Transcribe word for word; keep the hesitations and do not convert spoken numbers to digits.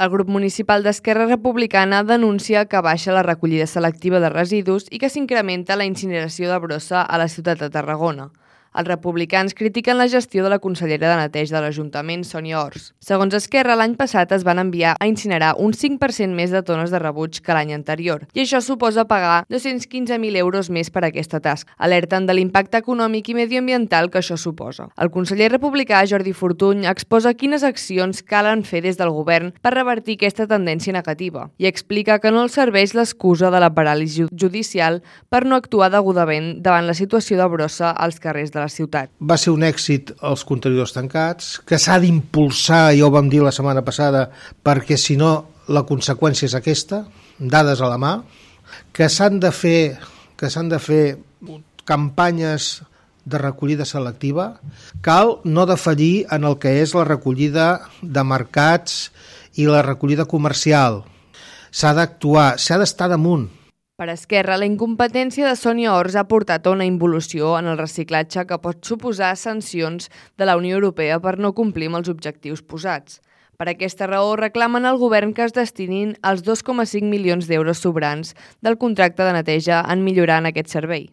El grup municipal d'Esquerra Republicana denuncia que baixa la recollida selectiva de residus i que s'incrementa la incineració de brossa a la ciutat de Tarragona. Els republicans critiquen la gestió de la consellera de neteja de l'Ajuntament, Sònia Ors. Segons Esquerra, l'any passat es van enviar a incinerar un cinc per cent més de tones de rebuig que l'any anterior, i això suposa pagar dos-cents quinze mil euros més per aquesta tasca. Alerten de l'impacte econòmic i medioambiental que això suposa. El conseller republicà Jordi Fortuny exposa quines accions calen fer des del govern per revertir aquesta tendència negativa i explica que no els serveix l'excusa de la paràlisi judicial per no actuar degudament davant la situació de brossa als carrers de la ciutat. Va ser un èxit els contenidors tancats, que s'ha d'impulsar, ja ho vam dir la setmana passada, perquè si no la conseqüència és aquesta, dades a la mà, que s'han de fer, que s'han de fer campanyes de recollida selectiva. Cal no defallir en el que és la recollida de mercats i la recollida comercial. S'ha d'actuar, s'ha d'estar damunt. Per Esquerra, la incompetència de Sònia Ors ha portat a una involució en el reciclatge que pot suposar sancions de la Unió Europea per no complir amb els objectius posats. Per aquesta raó, reclamen al govern que es destinin els dos coma cinc milions d'euros sobrants del contracte de neteja en millorar en aquest servei.